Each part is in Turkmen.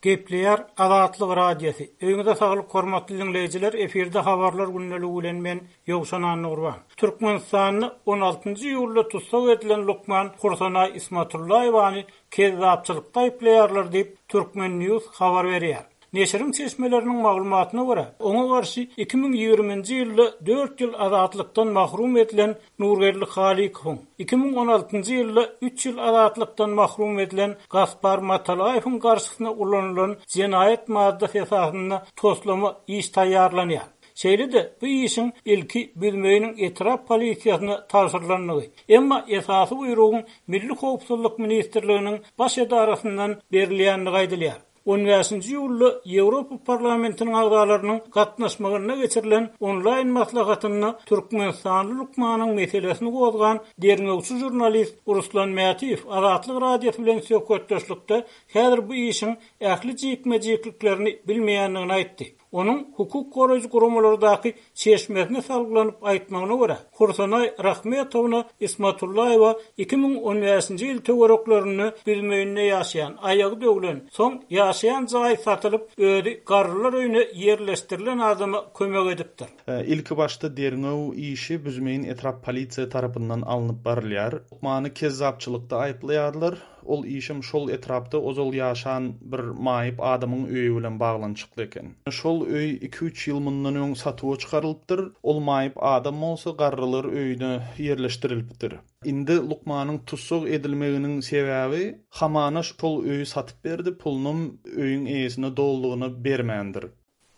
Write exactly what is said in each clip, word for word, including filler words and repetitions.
Gepleýär Azatlyk Radiosy. Öýüňize saglyk hormatly dinleýjiler, efirde habarlar gündeligi bilen men Ýowşan Annagurban. Türkmenistanda on altynjy iýulda tussag edilen lukman Hursanaý Ismatullaýewany kezzapçylykda aýyplaýarlar diýip Turkmen News habar berýär. Neşiriň çeşmeleriniň maglumatyna görä, oňa garşy iki müň ýigriminji ýylda dört ýyl azatlykdan mahrum edilen Nurgeldi Halykowyň, iki müň on altynjy ýylda üç ýyl azatlykdan mahrum edilen Gaspar Matalaýewiň garşysyna ulanylan jenaýat maddasy esasynda toslama iş taýýarlanýar. Şeýle-de bu işiň ilki Büzmeýiniň etrap polisiýasyna tabşyrylandygy, emma esasy buýrugyň Milli Howpsuzlyk Ministrliginiň baş edarasyndan berilýändigi aýdylýar. on bäşinji iýulda Ýewropa Parlamentiniň agzalarynyň gatnaşmagynda geçirilen onlaýn maslahatynda Türkmenistanly lukmanyň meselesini gozgan derňewçi žurnalist Ruslan Mätiýew Azatlyk Radiosy bilen söhbetdeşlikde häzir bu işiň ähli jikme-jikliklerini bilmeýändigini aýtdy. Onuň hukuk goraýjy guramalardaky çeşmesine salgylanyp aýtmagyna görä, Hursanaý Rahmetowna Ismatullaýewa iki müň on bäşinji ýyl töwereklerinde Büzmeýinde ýaşaýan, aýagy döwlen, soň ýaşaýan jaý satylyp, özi garrylar öýüne ýerleşdirilen adama kömek edipdir. Ilki başda derňew işi Büzmeýin etrap polisiýa tarapyndan alnyp barylýar. Lukmany kezzapçylykda aýyplaýarlar. Ol işem şol etrapda ozal ýaşan bir maýyp adamyň öýi bilen baglanyşykly eken. Şol öý iki-üç ýyl mundan öň satuwa çykarylypdyr. Ol maýyp adam bolsa garrylar öýüne ýerleşdirilipdir. Indi lukmanyň tussag edilmeginiň sebäbi hamana şol öýi satyp berdi, pulunam öýüň eýesine doldugyna bermändir.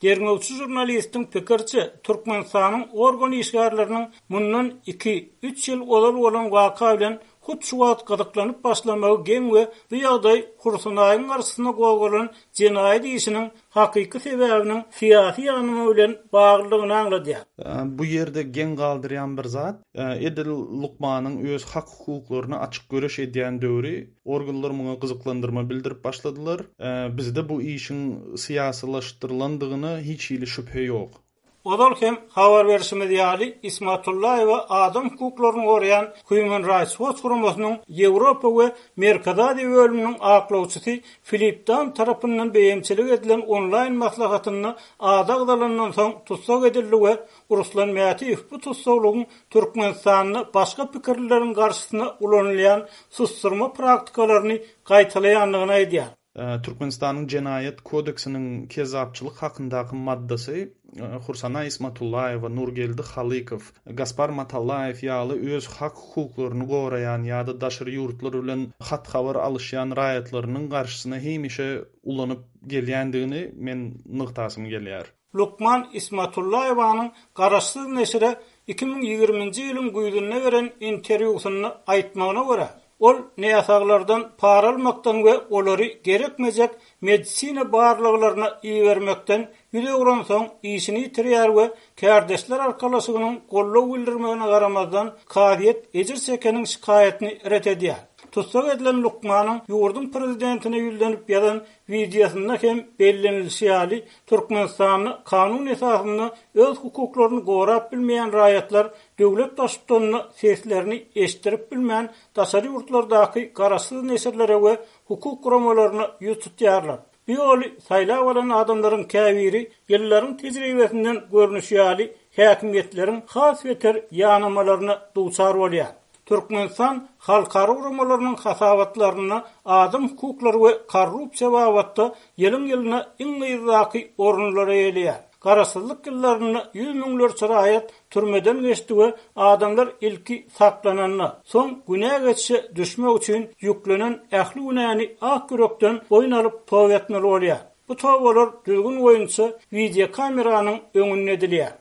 Derňewçi žurnalistiň pikirçe, Türkmenistanyň organ işgärleriniň mundan iki-üç ýyl ozal bolan waka bilen hut şu wagt gyzyklanyp başlamagy geň we bu ýagdaý Hursanaýyň garşysyna gozgalan jenaýat işiniň hakyky sebäbiniň syýasy ýanymy bilen baglydygyny aňladýar. Bu ýerde geň galdyrýan bir zat, edil lukmanyň öz hak hukuklaryny açyk göreş edýän döwri organlar muňa gyzyklandyrma bildirip başladylar. Bizde bu işiň syýasylaşdyrylandygyna hiç hili şübhe ýok. Ozal hem habar berişimiz ýaly Ismatullaýewa adam hukuklaryny goraýan Human Rights Watch guramasynyň Ýewropa we Merkezi Aziýa bölüminiň aklawçysy Filip Dam tarapyndan beýemçilik edilen onlaýn maslahatynda ady agzalandan soň tussag edildi we Ruslan Mätiýew bu tussaglygyň Türkmenistanda başga pikirleriň garşysyna ulanylýan susturma praktikalaryny gaýtalaýandygyny aýdýar. Türkmenistanyň jenaýat kodeksiniň kezzapçylyk hakyndaky maddasy Hursanaý Ismatullaýewa, Nurgeldi Halykow, Gaspar Matalaýew ýaly öz hak hukuklaryny goraýan ýa-da daşary ýurtlar bilen hat-habar alyşýan raýatlarynyň garşysyna hemişe ulanyp gelýändigini men nygtasym gelýär. Lukman Ismatullaýewanyň garaşsyz neşire iki müň ýigriminji ýylyň güýzünde beren interwýusynda aýtmagyna görä, ol näsaglardan para almakdan we olary gerekmejek medisina barlaglaryna ibermekden ýüz öwrensoň işini ýitirýär we kärdeşler arkalaşygynyň gollag bildirmegine garamazdan kazyýet ejir çekeniň şikaýatyny ret edýär. Tussag edilen lukmanyň ýurduň prezidentine ýüzlenip ýazan wideosynda hem bellenilişi ýaly Türkmenistanda kanun esasynda öz hukuklaryny gorap bilmeýän raýatlar döwlet baştutanyna seslerini eşitdirip bilmän daşary ýurtlardaky garaşsyz neşirlere we hukuk guramalaryna ýüz tutýarlar. Bu ýoly saýlap alan adamlaryň käbiri ýyllaryň tejribesinden görnüşi ýaly häkimiýetleriň has beter ýanamalaryna duçar bolýar. Türkmenistan halkara guramalarynyň hasabatlarynda adam hukuklary we korrupsiýa babatda ýylyň ýylyna iň yzdaky orunlara eýeleýär. Garaşsyzlyk ýyllarynda ýüz müňlerçe raýat türmeden geçdi we adamlar ilki saklananda, soň günä geçişe düşmek üçin ýüklenen ähli günäni ak ýürekden boýun alyp toba etmeli bolýar. Bu tobalar düzgün boýunça videokameranyň öňünde edilýär.